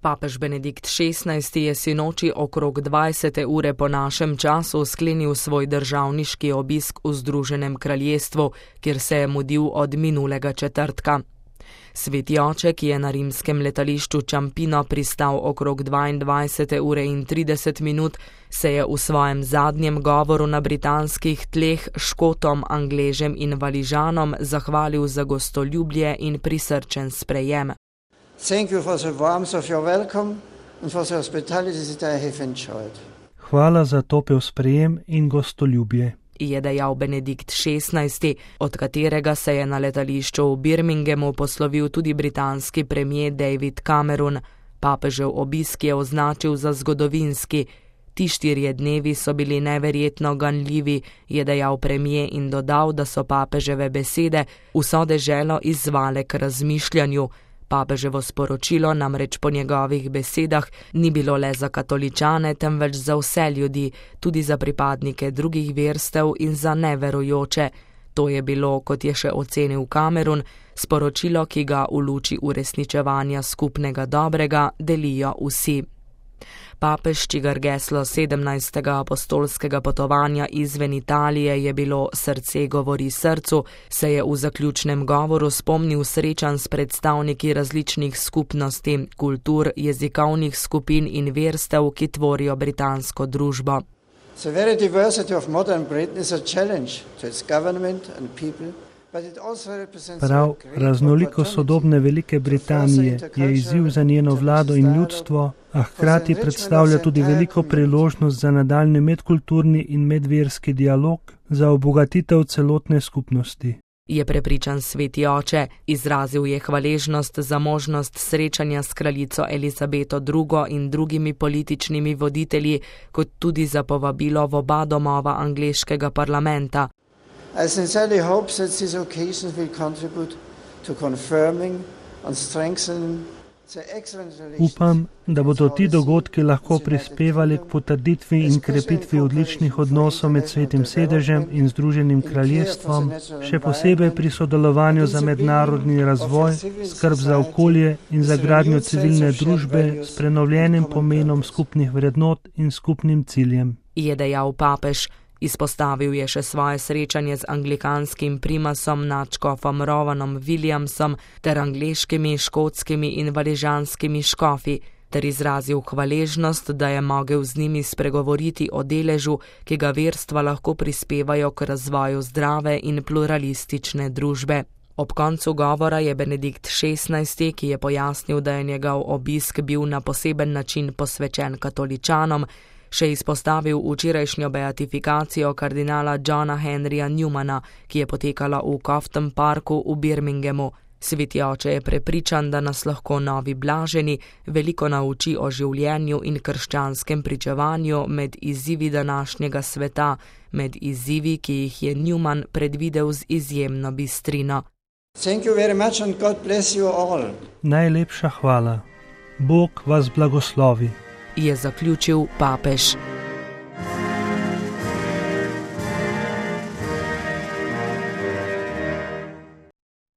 Papež Benedikt XVI je sinoči okrog 20. ure po našem času sklenil svoj državniški obisk v Združenem kraljestvu, kjer se je mudil od minulega četrtka. Sveti oče, ki je na rimskem letališču Ciampino pristal okrog 22. ure in 30 minut, se je v svojem zadnjem govoru na britanskih tleh Škotom, Angležem in Valižanom zahvalil za gostoljubje in prisrčen sprejem. Hvala za topel sprejem in gostoljubje, je dejal Benedikt XVI, od katerega se je na letališču v Birminghamu poslovil tudi britanski premier David Cameron. Papežev obisk je označil za zgodovinski. Ti 4 dnevi so bili neverjetno ganljivi, je dejal premier in dodal, da so papeževe besede vso deželo izzvale k razmišljanju. Papeževo sporočilo namreč po njegovih besedah ni bilo le za katoličane, temveč za vse ljudi, tudi za pripadnike drugih verstev in za neverujoče. To je bilo, kot je še ocenil Cameron, sporočilo, ki ga v luči uresničevanja skupnega dobrega delijo vsi. Papež, čigar geslo 17. apostolskega potovanja izven Italije je bilo Srce govori srcu, se je v zaključnem govoru spomnil srečanj s predstavniki različnih skupnosti, kultur, jezikovnih skupin in verstev, ki tvorijo britansko družbo. Prav raznolikost sodobne Velike Britanije je izziv za njeno vlado in ljudstvo, a hkrati predstavlja tudi veliko priložnost za nadaljnji medkulturni in medverski dialog, za obogatitev celotne skupnosti. Je prepričan sveti oče, izrazil je hvaležnost za možnost srečanja s kraljico Elizabeto II. In drugimi političnimi voditelji, kot tudi za povabilo v oba domova angleškega parlamenta. I sincerely hope that these occasions will contribute to confirming and strengthening the excellent relations. Upam, da bodo ti dogodki lahko prispevali k potrditvi in krepitvi odličnih odnosov med Svetim sedežem in Združenim kraljestvom, še posebej pri sodelovanju za mednarodni razvoj, skrb za okolje in za gradnjo civilne družbe s prenovljenim pomenom skupnih vrednot in skupnim ciljem, je dejal papež. Izpostavil je še svoje srečanje z anglikanskim primasom nadškofom Rovanom Williamsom ter angleškimi, škotskimi in valižanskimi škofi, ter izrazil hvaležnost, da je mogel z njimi spregovoriti o deležu, ki ga verstva lahko prispevajo k razvoju zdrave in pluralistične družbe. Ob koncu govora je Benedikt XVI, ki je pojasnil, da je njegov obisk bil na poseben način posvečen katoličanom, še izpostavil včerajšnjo beatifikacijo kardinala Johna Henryja Newmana, ki je potekala v Cofton Parku v Birminghamu. Sveti oče je prepričan, da nas lahko novi blaženi veliko nauči o življenju in krščanskem pričevanju med izzivi današnjega sveta, med izzivi, ki jih je Newman predvidel z izjemno bistrino. Najlepša hvala. Bog vas blagoslovi, je zaključil papež.